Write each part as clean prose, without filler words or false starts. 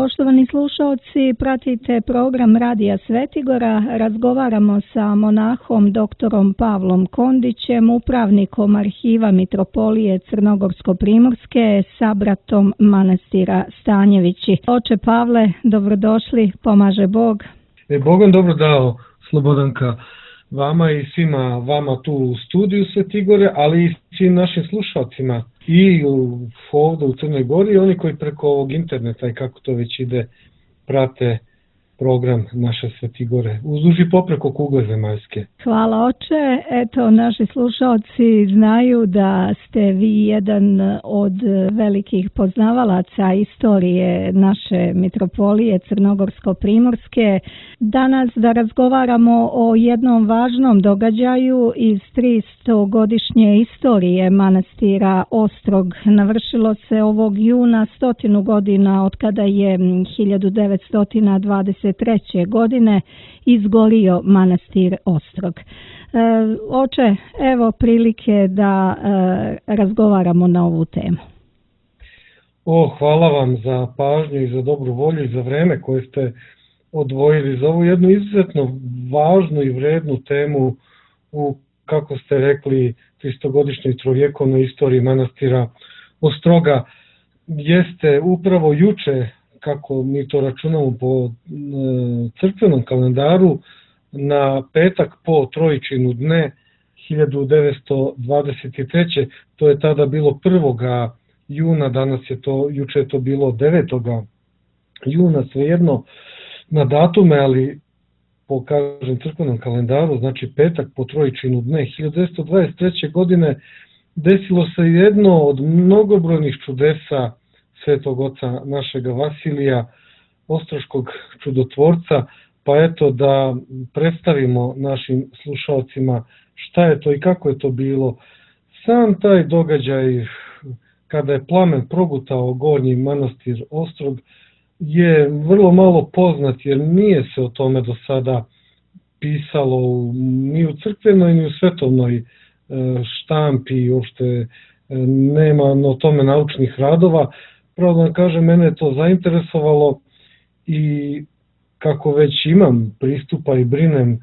Poštovani slušalci, pratite program Radija Svetigora. Razgovaramo sa monahom doktorom Pavlom Kondićem, upravnikom arhiva Mitropolije Crnogorsko-primorske, sabratom manastira Stanjevići. Oče Pavle, dobrodošli, pomaže Bog. Bog vam dobro dao, Slobodanka, vama i svima vama tu u studiju Svetigore, ali i svim našim slušalcima i ovdje u Crnoj Gori i oni koji preko ovog interneta i kako to već ide prate program naše Svetigore uzduž i popreko kugle zemaljske. Hvala oče. Eto, naši slušalci znaju da ste vi jedan od velikih poznavalaca istorije naše Mitropolije Crnogorsko-primorske. Danas da razgovaramo o jednom važnom događaju iz 300-godišnje istorije manastira Ostrog. Navršilo se ovog juna 100 godina od kada je 1923. godine izgorio manastir Ostrog. Oče, evo prilike da razgovaramo na ovu temu. Hvala vam za pažnju i za dobru volju i za vreme koje ste odvojili za ovu jednu izuzetno važnu i vrednu temu u, kako ste rekli, 300-godišnjoj trovjekovnoj istoriji manastira Ostroga. Jeste upravo juče, kako mi to računamo po crkvenom kalendaru, na petak po Trojičinu dne 1923. To je tada bilo 1. juna, danas je to, juče je to bilo 9. juna, svejedno na datume, ali po, kažem, crkvenom kalendaru, znači petak po Trojičinu dne 1923. godine desilo se jedno od mnogobrojnih čudesa Svetog oca našega Vasilija, ostroškog čudotvorca, pa eto da predstavimo našim slušalcima šta je to i kako je to bilo. Sam taj događaj kada je plamen progutao gornji manastir Ostrog je vrlo malo poznat, jer nije se o tome do sada pisalo ni u crkvenoj ni u svetovnoj štampi, uopšte nema o tome naučnih radova. Pravo da kažem, mene je to zainteresovalo i kako već imam pristupa i brinem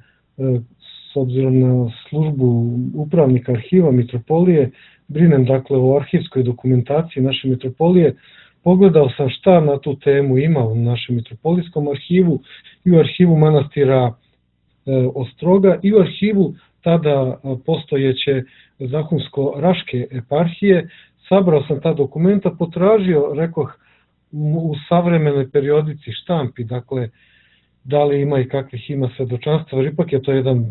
s obzirom na službu upravnika arhiva Mitropolije, brinem dakle o arhivskoj dokumentaciji naše Mitropolije, pogledao sam šta na tu temu ima u našem Mitropolijskom arhivu i u arhivu manastira Ostroga i u arhivu tada postojeće Zahumsko-Raške eparhije. Sabrao sam ta dokumenta, potražio, rekoh, u savremenoj periodici štampi, dakle, da li ima i kakvih ima svedočanstva, jer ipak je to jedan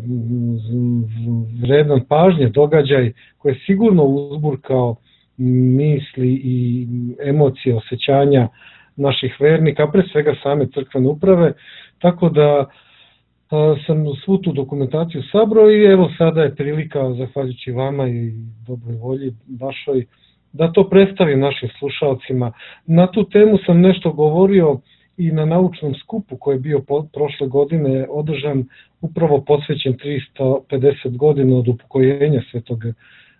vredan pažnje događaj koji je sigurno uzburkao misli i emocije, osjećanja naših vernika, pre svega same crkvene uprave, tako da sam svu tu dokumentaciju sabrao i evo sada je prilika, zahvaljujući vama i dobroj volji vašoj, da to predstavim našim slušalcima. Na tu temu sam nešto govorio i na naučnom skupu koji je bio prošle godine održan, upravo posvećen 350 godina od upokojenja Svetog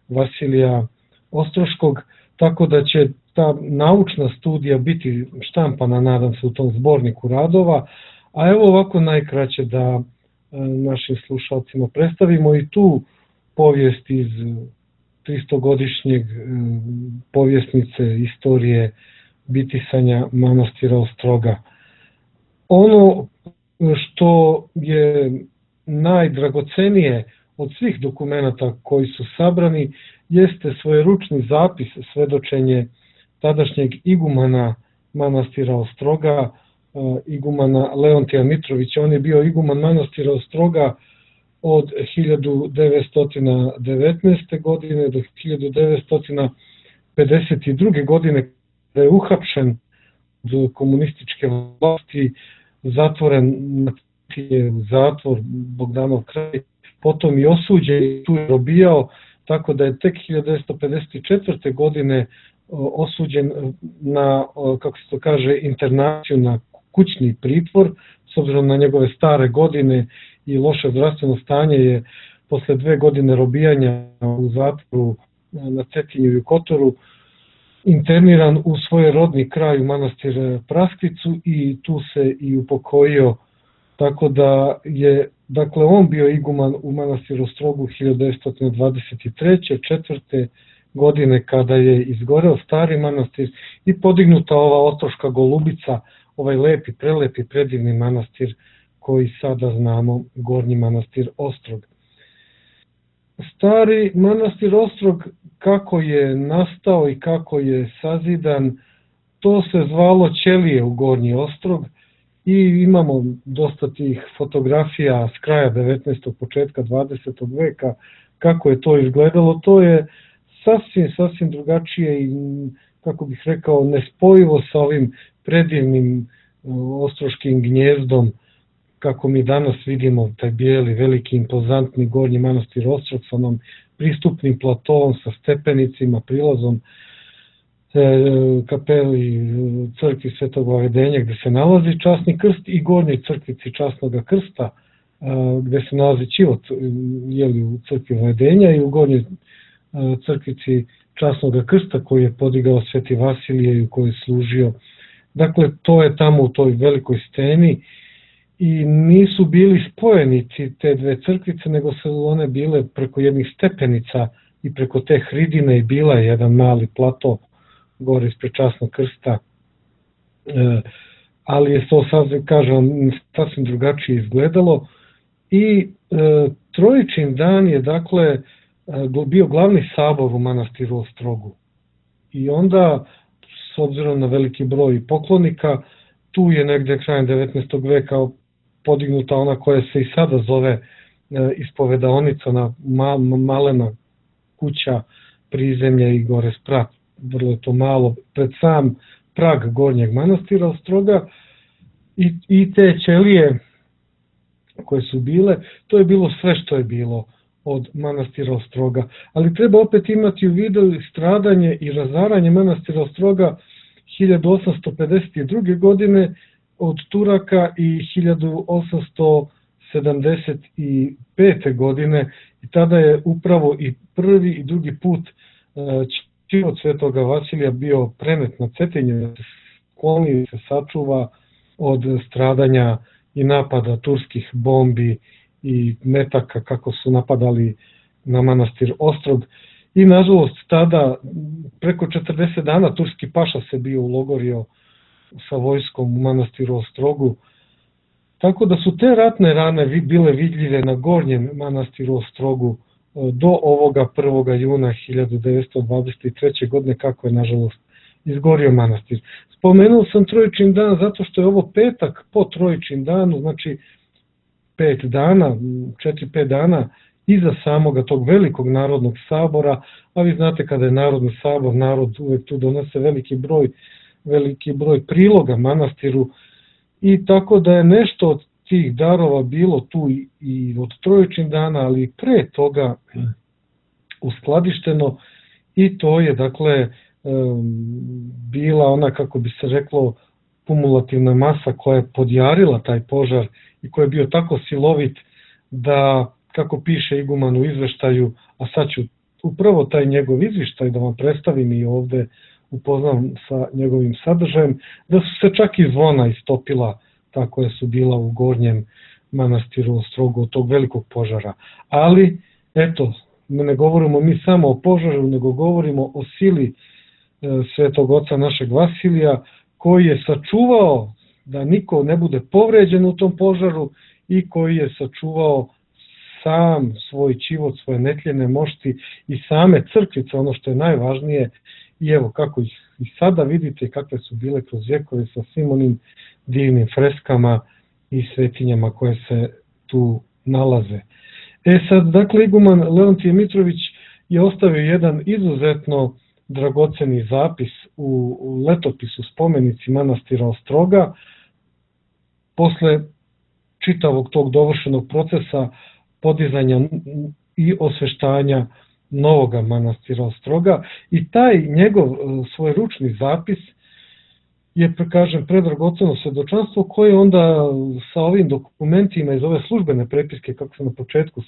Vasilija Ostroškog, tako da će ta naučna studija biti štampana, nadam se, u tom zborniku radova, a evo ovako najkraće da našim slušalcima predstavimo i tu povijest iz 300-godišnjeg povjesnice istorije bitisanja manastira Ostroga. Ono što je najdragocenije od svih dokumenata koji su sabrani jeste svojeručni zapis, svedočenje tadašnjeg igumana manastira Ostroga, igumana Leontija Mitrovića. On je bio iguman manastira Ostroga od 1919. godine do 1952. godine, kada je uhapšen od komunističke vlasti, zatvoren u zatvor Bogdanov kraj, potom i osuđen i tu je robijao, tako da je tek 1954. godine osuđen na, kako se to kaže, internaciju, na kućni pritvor, s obzirom na njegove stare godine i loše zdravstveno stanje je posle 2 godine robijanja u zatvoru na Cetinju i u Kotoru interniran u svoj rodni kraj u manastir Praskvicu i tu se i upokojio, tako da je dakle on bio iguman u manastiru Ostrogu 1923. 4. godine kada je izgoreo stari manastir i podignuta ova ostroška golubica, ovaj lepi, prelepi, predivni manastir koji sada znamo, Gornji manastir Ostrog. Stari manastir Ostrog, kako je nastao i kako je sazidan, to se zvalo Ćelije u Gornji Ostrog i imamo dosta tih fotografija s kraja 19. početka 20. veka, kako je to izgledalo. To je sasvim drugačije i, kako bih rekao, nespojivo sa ovim predivnim ostroškim gnjezdom, kako mi danas vidimo taj bijeli, veliki, impozantni Gornji manastir Ostrog sa onom pristupnim platovom, sa stepenicima, prilazom kapeli crkvi Svetog Vavedenja gde se nalazi časni krst i Gornjoj crkvici časnog krsta gde se nalazi ćivot u crkvi Vavedenja i u Gornjoj crkvici časnog krsta koji je podigao Sveti Vasilije i u kojoj je služio. Dakle, to je tamo u toj velikoj steni i nisu bili spojenici te dve crkvice, nego su one bile preko jednih stepenica i preko te hridine i bila je jedan mali plato gore ispred časnog krsta, ali je to sad, kažem, sasvim drugačije izgledalo i Trojičin dan je dakle bio glavni sabor u manastiru Ostrogu i onda, s obzirom na veliki broj poklonika, tu je negde krajem 19. veka podignuta ona koja se i sada zove ispovedaonica, na malena kuća prizemlje i gore sprat, vrlo je to malo, pred sam prag Gornjeg manastira Ostroga i te ćelije koje su bile, to je bilo sve što je bilo od manastira Ostroga, ali treba opet imati u vidu stradanje i razaranje manastira Ostroga 1852. godine od Turaka i 1875. godine i tada je upravo i prvi i drugi put ćivot Svetoga Vasilija bio prenet na Cetinju, da se skloni i se sačuva od stradanja i napada turskih bombi i metaka kako su napadali na manastir Ostrog. I nažalost tada preko 40 dana turski paša se bio ulogorio sa vojskom u manastiru Ostrogu. Tako da su te ratne rane bile vidljive na Gornjem manastiru Ostrogu do ovoga 1. juna 1923. godine, kako je nažalost izgorio manastir. Spomenuo sam Trojičin dan zato što je ovo petak po Trojičin danu, znači 5 dana, 4-5 dana iza samoga tog velikog narodnog sabora, a vi znate kada je narodni sabor, narod uvek tu donese veliki broj priloga manastiru i tako da je nešto od tih darova bilo tu i od Trojičin dana, ali i pre toga uskladišteno i to je dakle bila ona, kako bi se reklo, kumulativna masa koja je podjarila taj požar i koji je bio tako silovit da, kako piše iguman u izveštaju, a sad ću upravo taj njegov izveštaj da vam predstavim i ovde upoznam sa njegovim sadržajem, da su se čak i zvona istopila ta koja su bila u Gornjem manastiru Ostrogu od tog velikog požara. Ali, eto, ne govorimo mi samo o požaru, nego govorimo o sili Svetog oca našeg Vasilija, koji je sačuvao da niko ne bude povređen u tom požaru i koji je sačuvao sam svoj ćivot, svoje netljene mošti i same crkvice, ono što je najvažnije. I evo kako ih i sada vidite kakve su bile kroz vjekove sa svim onim divnim freskama i svetinjama koje se tu nalaze. Sad, dakle, iguman Leontije Mitrović je ostavio jedan izuzetno dragoceni zapis u letopisu spomenici manastira Ostroga. Posle čitavog tog dovršenog procesa podizanja i osveštanja novoga manastira Ostroga i taj njegov svoj ručni zapis je, kažem, predragoceno svedočanstvo koje onda sa ovim dokumentima iz ove službene prepiske, kako sam na početku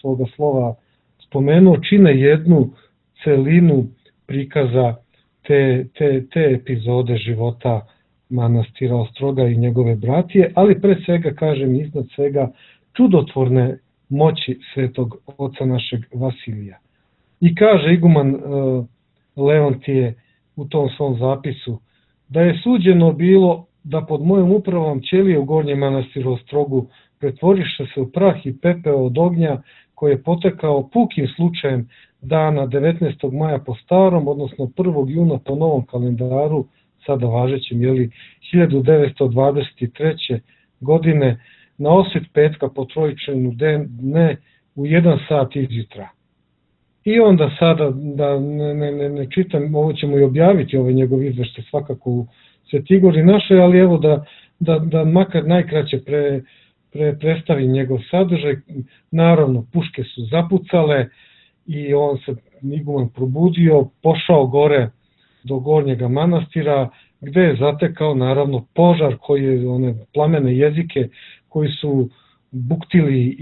svoga slova spomenuo, čine jednu celinu prikaza te epizode života manastira Ostroga i njegove bratije, ali pre svega, kažem, iznad svega čudotvorne moći svetog oca našeg Vasilija. I kaže iguman Leontije u tom svom zapisu da je suđeno bilo da pod mojom upravom ćelije u gornjem manastiru Ostrogu pretvoriše se u prah i pepeo od ognja koji je potekao pukim slučajem dana 19. maja po starom, odnosno 1. juna po novom kalendaru, sada važećem, 1923. godine, na osvit petka po trojičenu dne u 1 sat izjutra. I onda sada, da ne čitam, ovo ćemo i objaviti, ovaj njegov izveštaj svakako u Svetigori našoj, ali evo da makar najkraće predstavim njegov sadržaj. Naravno, puške su zapucale i on se iguman probudio, pošao gore do gornjega manastira, gde je zatekao naravno požar koji je, one plamene jezike koji su buktili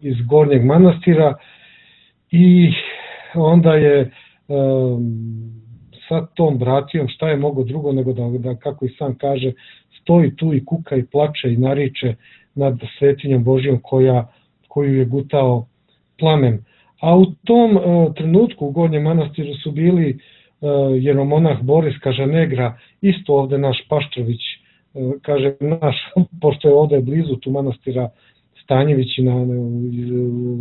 iz gornjeg manastira, i onda je sa tom bratijom, šta je mogo drugo nego da, kako i sam kaže, stoji tu i kuka i plače i nariče nad svetinjom Božijom koju je gutao plamen. A u tom trenutku u gornjem manastiru su bili jeromonah Boris Kažanegra, isto ovde naš Paštrović, kaže naš, pošto je ovde blizu tu manastira Stanjević i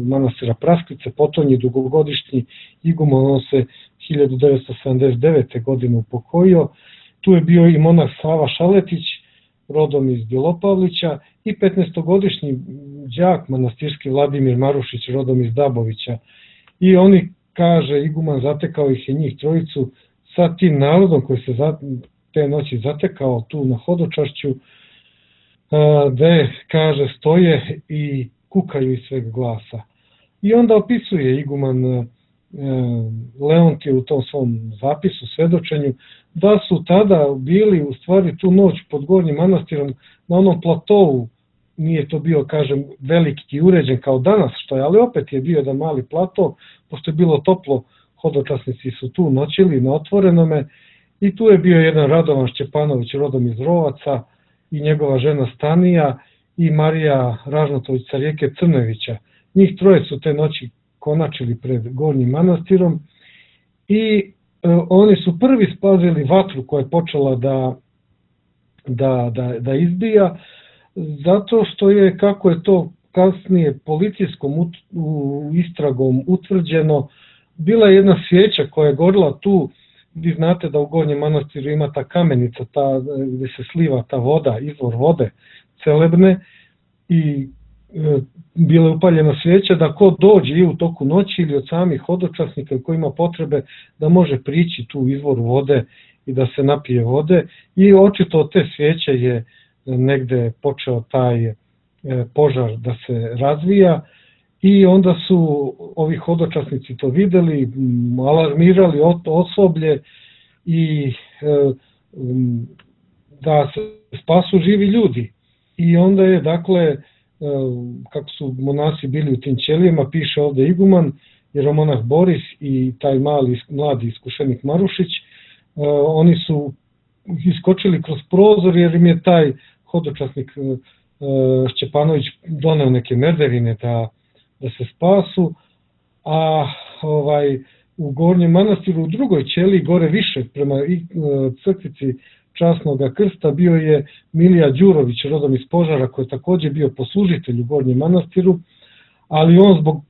manastira Prasklice, potonji dugogodišnji iguman, on se 1979. godine upokojio. Tu je bio i monah Sava Šaletić, rodom iz Bjelopavlića, i 15-godišnji đak manastirski Vladimir Marušić, rodom iz Dabovića. I oni, kaže iguman, zatekao ih je njih trojicu sa tim narodom koji se te noći zatekao tu na hodočašću, gde, kaže, stoje i kukaju iz sveg glasa. I onda opisuje iguman Leontije u tom svom zapisu, svedočenju, da su tada bili u stvari tu noć pod gornjim manastirom na onom platovu. Nije to bio, kažem, veliki i uređen kao danas što je, ali opet je bio jedan mali plato, pošto je bilo toplo, hodočasnici su tu noćili na otvorenome, i tu je bio jedan Radovan Šćepanović, rodom iz Rovaca, i njegova žena Stanija i Marija Ražnatović sa rijeke Crnevića. Njih troje su te noći konačili pred gornjim manastirom i oni su prvi spazili vatru koja je počela da izbija, zato što je, kako je to kasnije policijskom istragom utvrđeno, bila je jedna svijeća koja je gorila tu. Vi znate da u gornjem manastiru ima ta kamenica, gde se sliva ta voda, izvor vode celebne, i bila je upaljena svijeća da ko dođe i u toku noći ili od samih hodočasnika koji ima potrebe da može prići tu izvoru vode i da se napije vode, i očito od te svijeće je negde počeo taj požar da se razvija, i onda su ovi hodočasnici to videli, alarmirali osoblje i da se spasu živi ljudi. I onda je, dakle, kako su monasi bili u tim ćelijama, piše ovde iguman, jeromonah Boris i taj mladi iskušenik Marušić, oni su iskočili kroz prozor jer im je taj hodočasnik Šćepanović doneo neke merdevine da se spasu, a u gornjem manastiru u drugoj ćeliji, gore više prema crkvici Časnog krsta, bio je Milija Đurović, rodom iz Požara, koji je takođe bio poslužitelj u gornjem manastiru, ali on zbog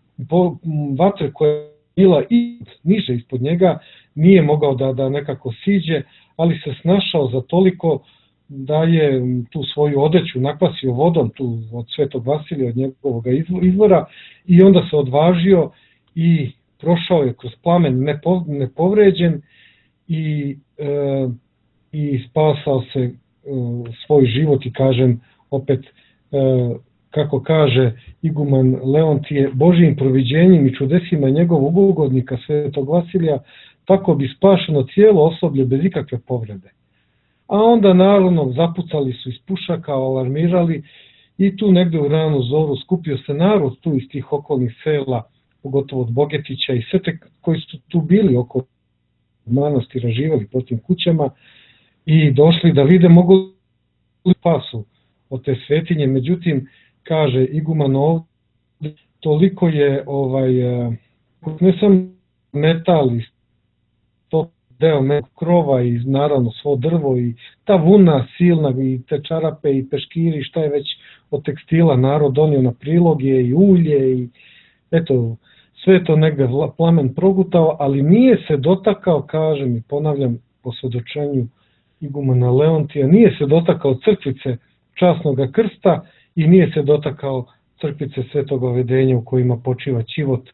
vatre koja je bila i niže ispod njega nije mogao da nekako siđe, ali se snašao za toliko da je tu svoju odeću nakvasio vodom tu od Svetog Vasilija, od njegovog izvora, i onda se odvažio i prošao je kroz plamen nepovređen i spasao se svoj život. I kažem opet, kako kaže iguman Leontije, Božijim proviđenjem i čudesima njegovog ugodnika Svetog Vasilija tako bi spašeno cijelo osoblje bez ikakve povrede. A onda naravno zapucali su iz pušaka, alarmirali, i tu negde u ranu zoru skupio se narod tu iz tih okolnih sela, pogotovo od Bogetića i sve te koji su tu bili oko manastira živjeli po tim kućama i došli da vide mogu li pasu od te svetinje. Međutim, kaže iguman ovdje, toliko je ne samo metal i to deo krova i naravno svo drvo i ta vuna silna i te čarape i peškiri, šta je već od tekstila narod donio na priloge i ulje i eto, sve to negde plamen progutao, ali nije se dotakao, kažem i ponavljam po svedočenju igumana Leontija, nije se dotakao crkvice časnog krsta i nije se dotakao crkvice Svetog Ovedenja u kojima počiva Ćivot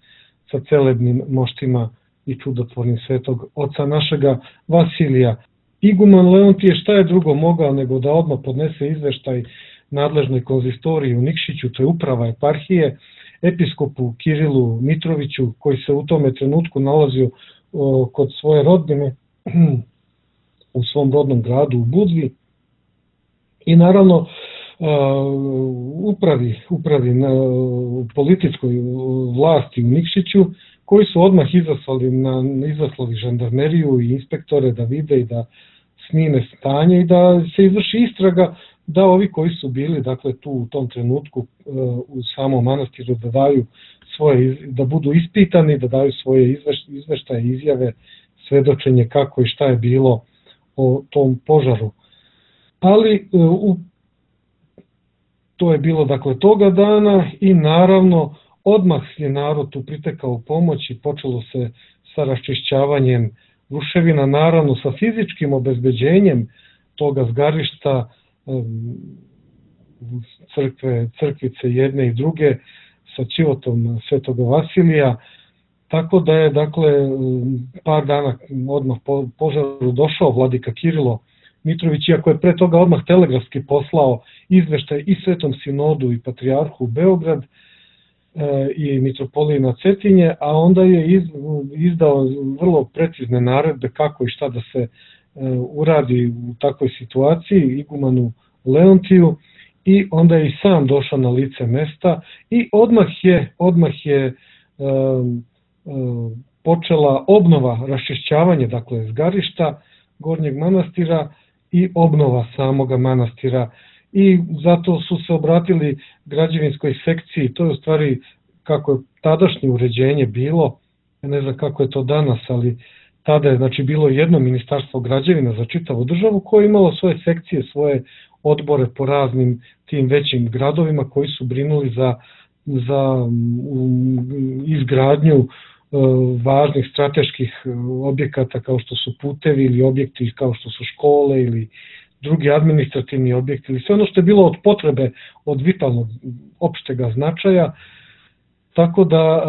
sa celebnim moštima i čudotvornim Svetog oca našega Vasilija. Iguman Leontije šta je drugo mogao nego da odmah podnese izveštaj nadležnoj konzistoriji u Nikšiću, to je uprava eparhije, episkopu Kirilu Mitroviću, koji se u tome trenutku nalazio kod svoje rodbine u svom rodnom gradu u Budvi, i naravno upravi na političkoj vlasti u Nikšiću, koji su odmah izaslali žandarmeriju i inspektore da vide i da snime stanje i da se izvrši istraga, da ovi koji su bili dakle tu u tom trenutku u samom manastiru da budu ispitani, da daju svoje izveštaje, izjave, svedočenje kako i šta je bilo o tom požaru. Ali to je bilo dakle toga dana i naravno odmah je narod tu pritekao u pomoć i počelo se sa raščišćavanjem ruševina, naravno sa fizičkim obezbeđenjem toga zgarišta, crkvice jedne i druge sa Ćivotom Svetoga Vasilija, tako da je dakle par dana odmah po požaru došao vladika Kirilo Mitrović, iako je pre toga odmah telegrafski poslao izveštaj i Svetom sinodu i patrijarhu u Beograd i mitropoliji na Cetinje, a onda je izdao vrlo precizne naredbe kako i šta da se uradi u takvoj situaciji igumanu Leontiju, i onda je i sam došao na lice mesta i odmah je počela obnova, raščišćavanje dakle zgarišta Gornjeg manastira i obnova samoga manastira, i zato su se obratili građevinskoj sekciji. To je u stvari kako je tadašnje uređenje bilo, ne znam kako je to danas, ali tada je znači bilo jedno ministarstvo građevina za čitavu državu koje je imalo svoje sekcije, svoje odbore po raznim tim većim gradovima koji su brinuli za izgradnju važnih strateških objekata kao što su putevi ili objekti kao što su škole ili drugi administrativni objekti ili sve ono što je bilo od potrebe, od vitalnog opštega značaja. Tako da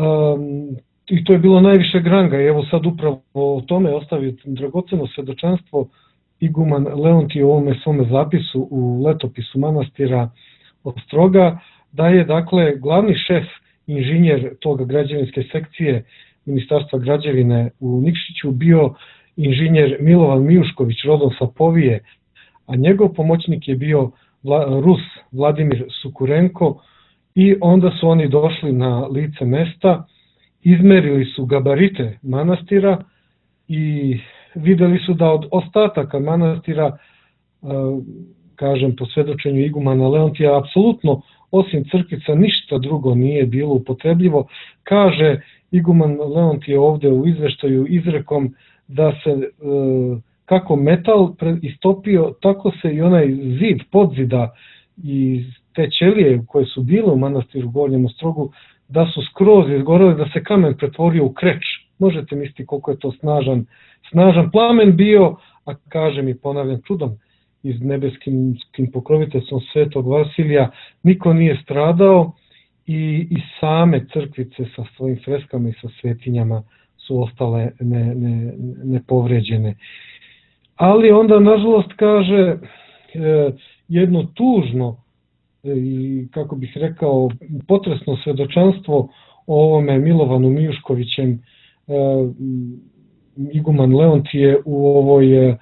i to je bilo najvišeg ranga, i evo sad upravo o tome ostavio dragoceno svedočanstvo iguman Leontije u ovome svome zapisu u letopisu manastira Ostroga, da je dakle glavni šef inženjer toga građevinske sekcije Ministarstva građevine u Nikšiću bio inženjer Milovan Mijušković, rodom sa Povije, a njegov pomoćnik je bio Rus Vladimir Sukurenko, i onda su oni došli na lice mesta, izmerili su gabarite manastira i videli su da od ostataka manastira, kažem po svedočenju igumana Leontija, apsolutno osim crkvica ništa drugo nije bilo upotrebljivo. Kaže iguman Leontije ovde u izveštaju izrekom da se kako metal istopio, tako se i onaj zid, podzida i te ćelije koje su bile u manastiru Gornjem Ostrogu, da su skroz izgorele, da se kamen pretvorio u kreč. Možete misliti koliko je to snažan plamen bio, a kažem i ponavljam čudom iz nebeskim pokroviteljstvom Svetog Vasilija niko nije stradao, i same crkvice sa svojim freskama i sa svetinjama su ostale nepovređene. Ali onda nažalost kaže jedno tužno i kako bih rekao potresno svedočanstvo o ovome Milovanu Mijuškovićem, iguman Leontije u ovoj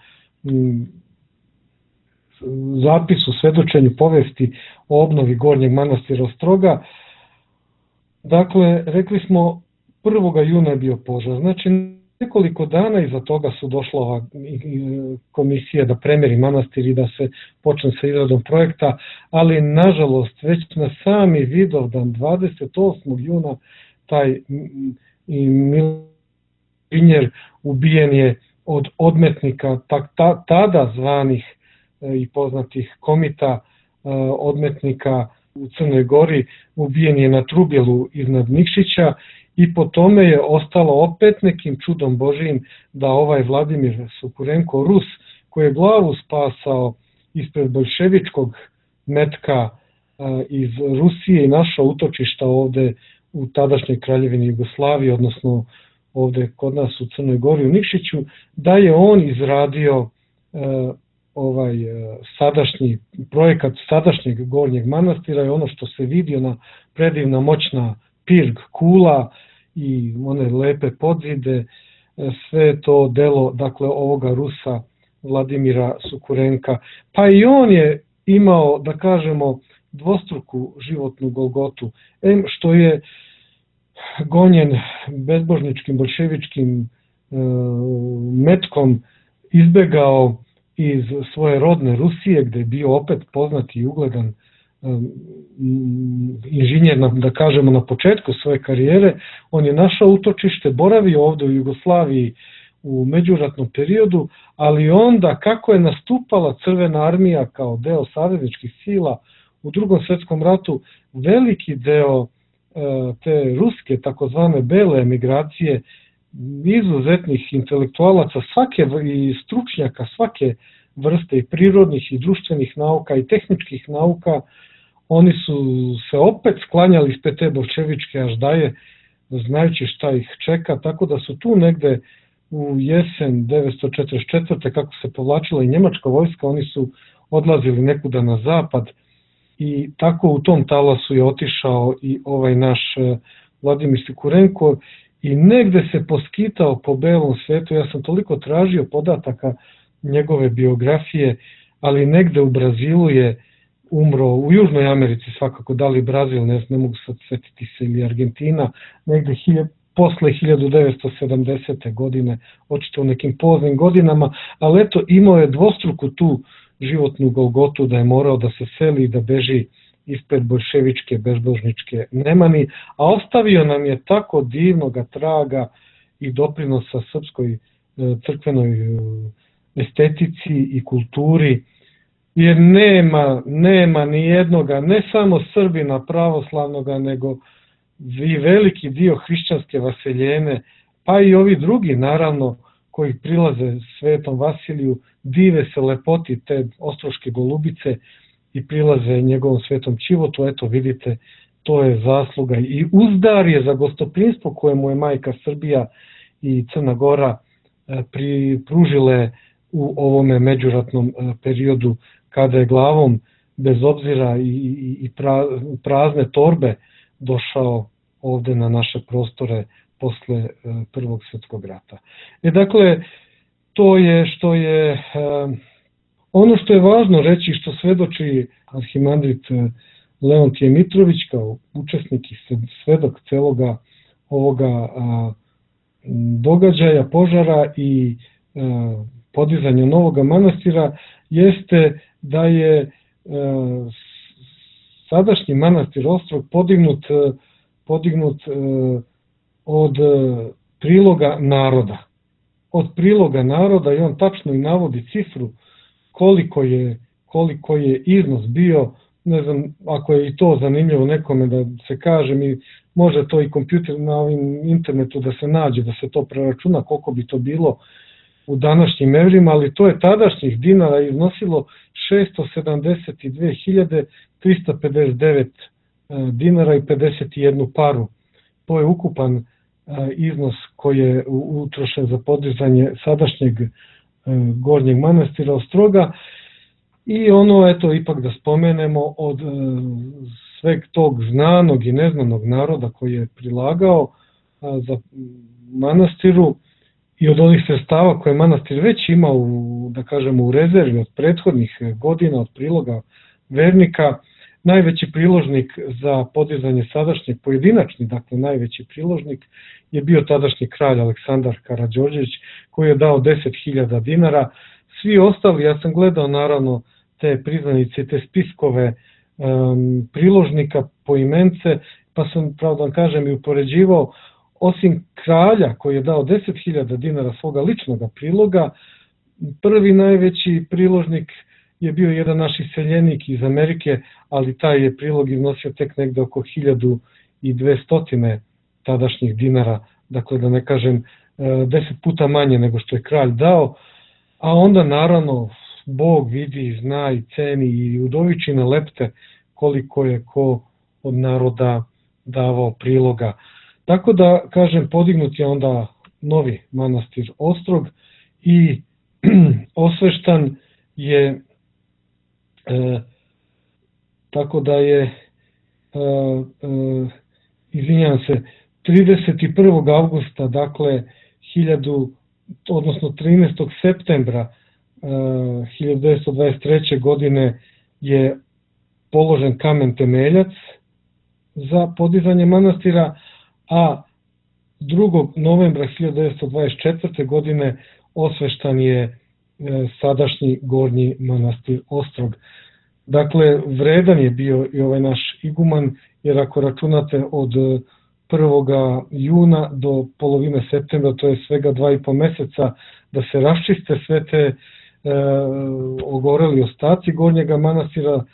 zapisu, svedočenju povesti o obnovi Gornjeg manastira Ostroga. Dakle, rekli smo 1. juna je bio požar, znači nekoliko dana iza toga su došla ova komisija da premeri manastir i da se počne sa izradom projekta, ali nažalost već na sami Vidovdan 28. juna taj inženjer ubijen je od odmetnika, tada zvanih i poznatih komita odmetnika u Crnoj Gori, ubijen je na Trubjelu iznad Nikšića i po tome je ostalo opet nekim čudom Božijim da ovaj Vladimir Sukurenko, Rus, koji je glavu spasao ispred boljševičkog metka iz Rusije i našao utočišta ovde u tadašnjoj kraljevini Jugoslavije, odnosno ovde kod nas u Crnoj Gori u Nikšiću, da je on izradio sadašnji projekat sadašnjeg Gornjeg manastira i ono što se vidi, ona predivna moćna pirg kula i one lepe podzide, sve to delo, dakle, ovoga Rusa Vladimira Sukurenka. Pa i on je imao, da kažemo, dvostruku životnu golgotu, što je gonjen bezbožničkim boljševičkim metkom izbegao iz svoje rodne Rusije, gde je bio opet poznati i ugledan inženjer, da kažemo, na početku svoje karijere. On je našao utočište, boravio ovde u Jugoslaviji u međuratnom periodu, ali onda kako je nastupala Crvena armija kao deo savezničkih sila u Drugom svetskom ratu, veliki deo te ruske takozvane bele emigracije, izuzetnih intelektualaca i stručnjaka svake vrste i prirodnih i društvenih nauka i tehničkih nauka, oni su se opet sklanjali ispred te boljševičke aždaje, znajući šta ih čeka, tako da su tu negde u jesen 1944. kako se povlačila i njemačka vojska, oni su odlazili nekuda na zapad i tako u tom talasu je otišao i ovaj naš Vladimir Sukurenko i negde se poskitao po belom svetu. Ja sam toliko tražio podataka njegove biografije, ali negde u Brazilu je umro, u Južnoj Americi svakako, da li Brazil, ne mogu sad setiti se, ili Argentina, negde posle 1970. godine, očito u nekim poznim godinama, ali eto, imao je dvostruku tu životnu golgotu da je morao da se seli i da beži ispred boljševičke bezbožničke nemani, a ostavio nam je tako divnoga traga i doprinosa srpskoj crkvenoj estetici i kulturi, jer nema ni jednoga, ne samo Srbina pravoslavnoga, nego i veliki dio hrišćanske vaseljene, pa i ovi drugi naravno koji prilaze Svetom Vasiliju, dive se lepoti te ostroške golubice i prilaze njegovom Svetom Ćivotu. Eto vidite, to je zasluga i uzdar je za gostoprimstvo koje mu je majka Srbija i Crna Gora pružile u ovome međuratnom periodu, kada je glavom bez obzira i prazne torbe došao ovde na naše prostore posle Prvog svjetskog rata. Dakle, to je što je ono što je važno reći, što svedoči arhimandrit Leontije Mitrović kao učesnik i svedok celoga ovoga događaja, požara i podizanja novoga manastira, jeste da je sadašnji manastir Ostrog podignut od priloga naroda. Od priloga naroda, i on tačno i navodi cifru koliko je iznos bio. Ne znam, ako je i to zanimljivo nekome da se kaže, može to i kompjuter na ovim internetu da se nađe, da se to preračuna koliko bi to bilo u današnjim evrima, ali to je tadašnjih dinara iznosilo 672.359 dinara i 51 paru. To je ukupan iznos koji je utrošen za podizanje sadašnjeg Gornjeg manastira Ostroga. I ono, eto, ipak da spomenemo, od sveg tog znanog i neznanog naroda koji je prilagao za manastiru i od onih sredstava koje manastir već ima da kažemo, u rezervi od prethodnih godina, od priloga vernika, Najveći priložnik za podizanje sadašnjeg, pojedinačni, dakle najveći priložnik, je bio tadašnji kralj Aleksandar Karađorđević, koji je dao 10.000 dinara. Svi ostali, ja sam gledao naravno te priznanice, te spiskove priložnika poimence, pa sam, pravo da vam kažem, i upoređivao, osim kralja koji je dao 10.000 dinara svoga ličnog priloga, prvi najveći priložnik je bio jedan naš iseljenik iz Amerike, ali taj je prilog iznosio tek negde oko 1.200 tadašnjih dinara, dakle da ne kažem 10 puta manje nego što je kralj dao, a onda naravno Bog vidi, zna i ceni i udovičine lepte koliko je ko od naroda davao priloga. Tako da, kažem, podignut je onda novi manastir Ostrog i osveštan je, tako da je, izvinjam se, 31. avgusta, dakle, 13. septembra 1923. godine je položen kamen temeljac za podizanje manastira, a 2. novembra 1924. godine osveštan je sadašnji gornji manastir Ostrog. Dakle, vredan je bio i ovaj naš iguman, jer ako računate od 1. juna do polovine septembra, to je svega 2,5 meseca da se raščiste sve te ogoreli ostaci gornjega manastira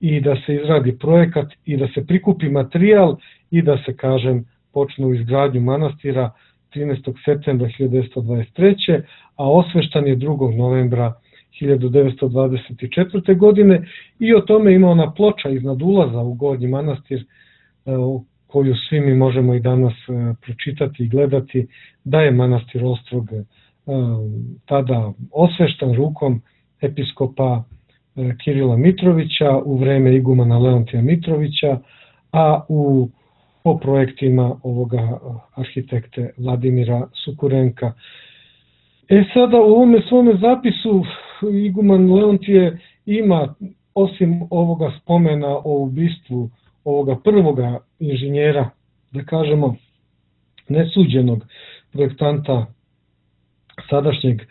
i da se izradi projekat i da se prikupi materijal i da se, kažem, počnu izgradnju manastira 13. septembra 1923. a osveštan je 2. novembra 1924. godine i o tome ima ona ploča iznad ulaza u gornji manastir koju svi mi možemo i danas pročitati i gledati, da je manastir Ostrog tada osveštan rukom episkopa Kirila Mitrovića u vreme igumana Leontija Mitrovića, a po projektima ovoga arhitekte Vladimira Sukurenka. Sada u ovome svome zapisu iguman Leontije ima, osim ovoga spomena o ubistvu ovoga prvoga inženjera, da kažemo nesuđenog projektanta sadašnjeg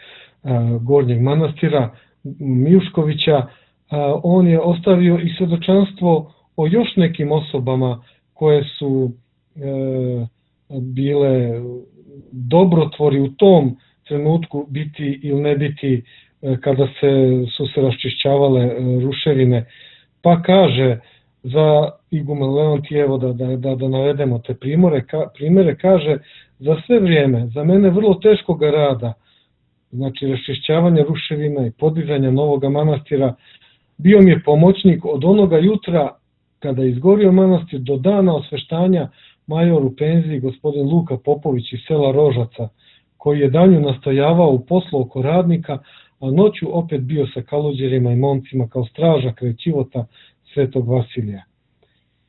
gornjeg manastira Mijuškovića, on je ostavio i svedočanstvo o još nekim osobama koje su bile dobrotvori u tom trenutku, biti ili ne biti, kada su se raščišćavale ruševine. Pa kaže za iguman Leontijevo, da navedemo te primere, kaže: za sve vrijeme, za mene vrlo teškog rada, znači raščišćavanja ruševina i podizanja novog manastira, bio mi je pomoćnik od onoga jutra kada je izgorio manastir do dana osveštanja major u penziji gospodin Luka Popović iz sela Rožaca, koji je danju nastojavao u poslu oko radnika, a noću opet bio sa kaluđerima i momcima kao straža kraj ćivota Svetog Vasilija.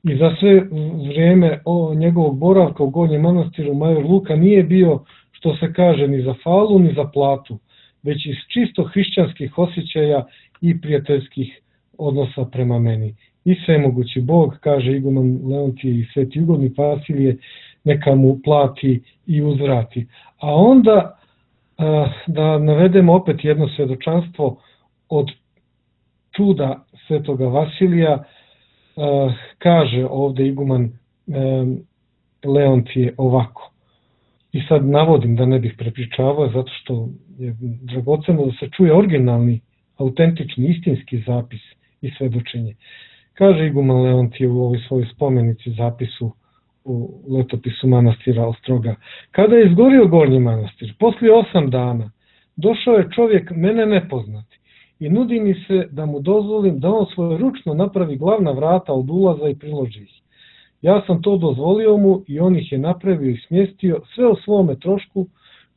I za sve vrijeme njegovog boravka u gornjem manastiru major Luka nije bio, što se kaže, ni za falu ni za platu, već iz čisto hrišćanskih osjećaja i prijateljskih odnosa prema meni. I svemogući Bog, kaže iguman Leontije i sveti ugodnik Vasilije, neka mu plati i uzvrati. A onda da navedemo opet jedno svedočanstvo od čuda svetoga Vasilija, kaže ovde iguman Leontije ovako. I sad navodim da ne bih prepričavao, zato što je dragoceno da se čuje originalni, autentični, istinski zapis i svedočenje. Kaže iguman Leontije u ovoj svojoj spomenici, zapisu u letopisu manastira Ostroga: kada je izgorio gornji manastir, poslije 8 dana, došao je čovjek mene nepoznati i nudi mi se da mu dozvolim da on svoje ručno napravi glavna vrata od ulaza i priloži ih. Ja sam to dozvolio mu i on ih je napravio i smjestio sve o svome trošku,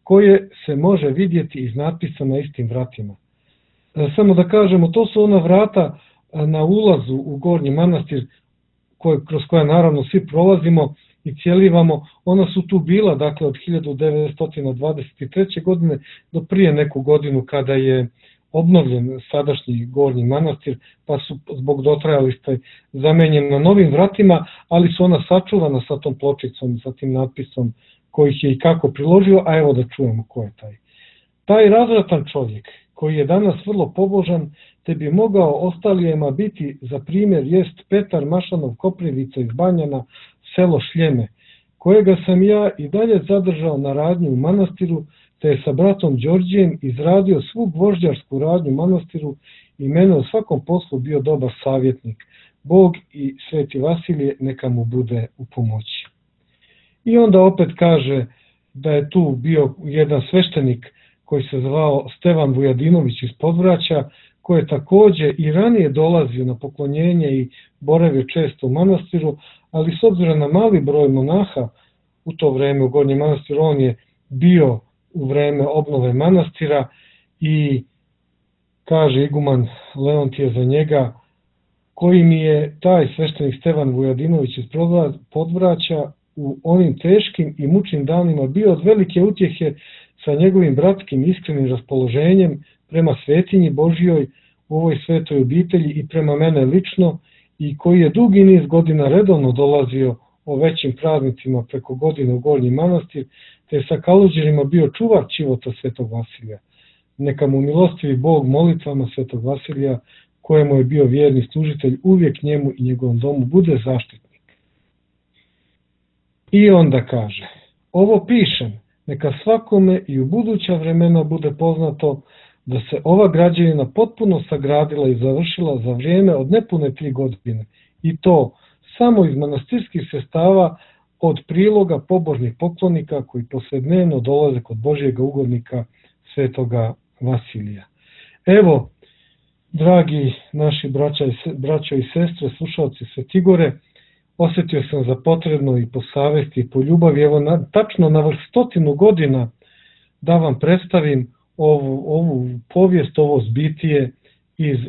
koje se može vidjeti iz natpisa na istim vratima. Samo da kažemo, to su ona vrata na ulazu u gornji manastir, kroz koja naravno svi prolazimo i cijelivamo. Ona su tu bila, dakle, od 1923. godine do prije neku godinu, kada je obnovljen sadašnji Gornji manastir, pa su zbog dotrajalosti zamenjen na novim vratima, ali su ona sačuvana sa tom pločicom, sa tim natpisom koji ih je i kako priložio, a evo da čujemo ko je taj. Taj razvratan čovjek, koji je danas vrlo pobožan, te bi mogao ostalijema biti za primjer, jest Petar Mašanov Koprivica iz Banjana, selo Šljeme, kojega sam ja i dalje zadržao na radnji u manastiru, te je sa bratom Đorđijem izradio svu gvožđarsku radnju u manastiru i mene u svakom poslu bio dobar savjetnik. Bog i Sveti Vasilije neka mu bude u pomoći. I onda opet kaže da je tu bio jedan sveštenik koji se zvao Stevan Vujadinović iz Podvraća, koji je takođe i ranije dolazio na poklonjenje i boravio često u manastiru, ali s obzirom na mali broj monaha u to vreme u Gornjem manastiru, on je bio u vreme obnove manastira i kaže iguman Leontije za njega, koji mi je taj sveštenik Stevan Vujadinović iz Podvraća u onim teškim i mučnim danima bio od velike utjehe sa njegovim bratskim iskrenim raspoloženjem prema svetinji Božjoj u ovoj svetoj obitelji i prema mene lično, i koji je dugi niz godina redovno dolazio o većim praznicima preko godine u Gornji manastir, te je sa Kaluđerima bio čuvar čivota Svetog Vasilija. Neka mu milostivi Bog molitvama Svetog Vasilija, kojemu je bio vjerni služitelj, uvijek njemu i njegovom domu bude zaštitnik. I onda kaže, ovo pišem, neka svakome i u buduća vremena bude poznato da se ova građevina potpuno sagradila i završila za vrijeme od nepune 3 godine, i to samo iz manastirskih sredstava od priloga pobožnih poklonika koji poslednevno dolaze kod Božjega ugodnika Svetoga Vasilija. Evo, dragi naši braćo i sestre, slušalci Svetigore, osjetio sam za potrebno i po savesti i po ljubavi, evo tačno na vrh 100 godina da vam predstavim ovu povijest, ovo zbitije iz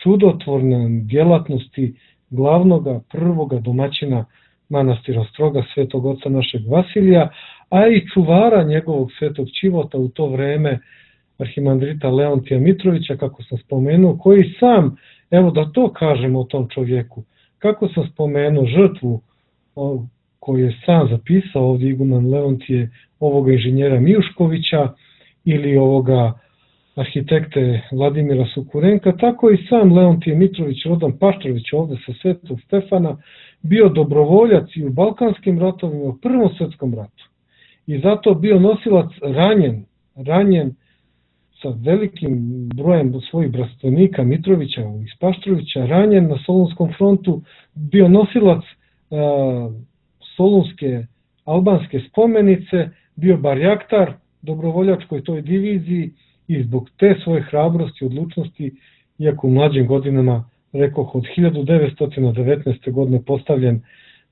čudotvorne djelatnosti glavnoga prvoga domaćina manastira Ostroga, svetog oca našeg Vasilija, a i čuvara njegovog svetog čivota u to vreme, arhimandrita Leontija Mitrovića, kako sam spomenuo, koji sam, evo da to kažemo o tom čovjeku, kako sam spomenuo žrtvu koju je sam zapisao ovdje iguman Leontije, ovoga inženjera Mijuškovića ili ovoga arhitekte Vladimira Sukurenka, tako i sam Leontije Mitrović, rodan Paštrović ovdje sa Svetog Stefana, bio dobrovoljac i u Balkanskim ratovima, u Prvom svjetskom ratu. I zato bio nosilac ranjen sa velikim brojem svojih bratstvenika Mitrovića iz Paštrovića, ranjen na Solunskom frontu, bio nosilac solunske albanske spomenice, bio barjaktar dobrovoljačkoj toj diviziji i zbog te svoje hrabrosti i odlučnosti, iako u mlađim godinama, rekoh, od 1919. godine postavljen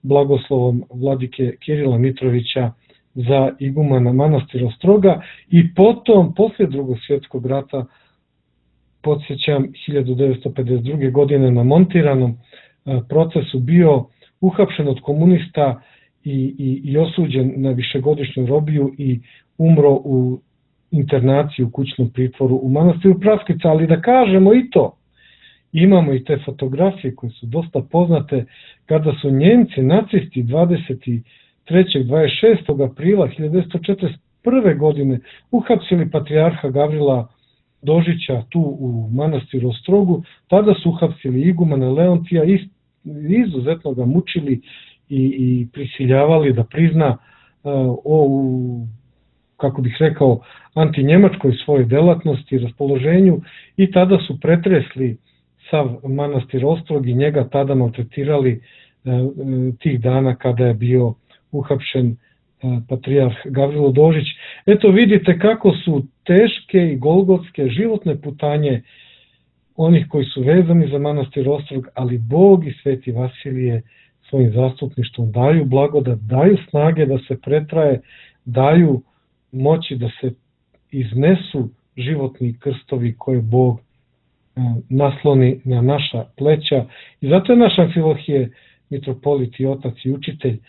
blagoslovom vladike Kirila Mitrovića za igumana manastira Ostroga, i potom, poslije Drugog svjetskog rata, podsjećam, 1952. godine na montiranom procesu bio uhapšen od komunista i osuđen na višegodišnju robiju i umro u internaciji u kućnom pritvoru u manastiru Praskica. Ali da kažemo i to, imamo i te fotografije koje su dosta poznate, kada su Njemci, nacisti 23. 26. aprila 1941. godine uhapsili patrijarha Gavrila Dožića tu u manastiru Ostrogu. Tada su uhapsili igumana Leontija i izuzetno ga mučili i prisiljavali da prizna kako bih rekao, antinjemačkoj svojoj delatnosti i raspoloženju, i tada su pretresli sav manastir Ostrog i njega tada maltretirali tih dana kada je bio uhapšen patrijarh Gavrilo Dožić. Eto vidite kako su teške i golgotske životne putanje onih koji su vezani za manastir Ostrog, ali Bog i Sveti Vasilije svojim zastupništvom daju blagodat, daju snage da se pretraje, daju moći da se iznesu životni krstovi koje Bog nasloni na naša pleća. I zato je naš Amfilohije, mitropolit i otac i učitelj,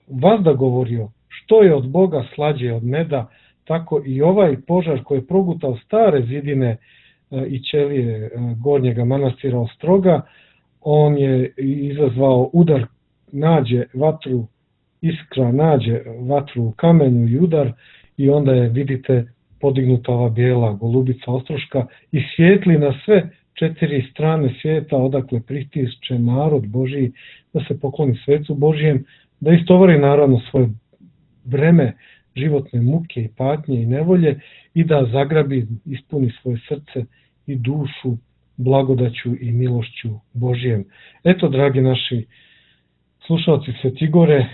vazda govorio, što je od Boga slađe od meda, tako i ovaj požar koji je progutao stare zidine i ćelije Gornjega manastira Ostroga. On je izazvao udar, nađe vatru, iskra nađe vatru u kamenu i udar, i onda je, vidite, podignuta ova bijela golubica ostroška i svijetli na sve 4 strane svijeta, odakle pritišće narod Božji da se pokloni svecu Božjem, da istovari naravno svoje breme životne muke i patnje i nevolje i da zagrabi, ispuni svoje srce i dušu blagodaću i milošću Božjem. Eto, dragi naši slušalci Svetigore,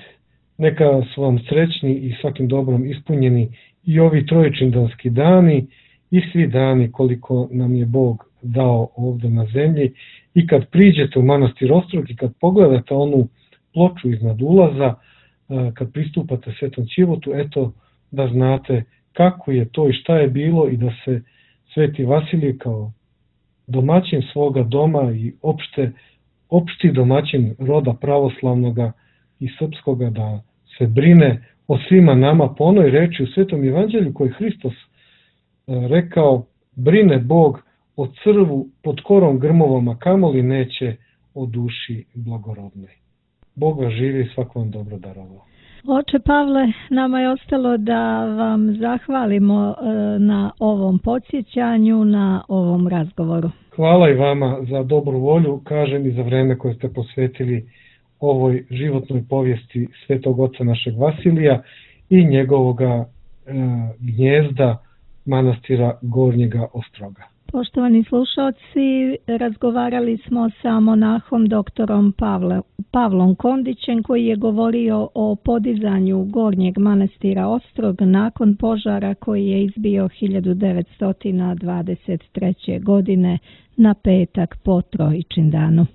neka su vam srećni i svakim dobrom ispunjeni i ovi trojičindanski dani i svi dani koliko nam je Bog dao ovdje na zemlji. I kad priđete u manastir Ostrog i kad pogledate onu ploču iznad ulaza, kad pristupate Svetom Ćivotu, eto da znate kako je to i šta je bilo i da se Sveti Vasilij kao domaćin svoga doma i opšti domaćin roda pravoslavnoga i srpskoga, da se brine o svima nama po onoj reči u Svetom Evanđelju koji Hristos rekao: brine Bog o crvu pod korom grmovom, a kamoli neće o duši blagorodnoj. Bog vas živi i svako vam dobro darovao. Oče Pavle, nama je ostalo da vam zahvalimo na ovom podsjećanju, na ovom razgovoru. Hvala i vama za dobru volju, kažem, i za vreme koje ste posvetili ovoj životnoj povijesti Svetog Oca našeg Vasilija i njegovoga gnjezda manastira Gornjega Ostroga. Poštovani slušalci, razgovarali smo sa monahom doktorom Pavlom Kondićem, koji je govorio o podizanju Gornjeg manastira Ostrog nakon požara koji je izbio 1923. godine na petak po Trojičindanu.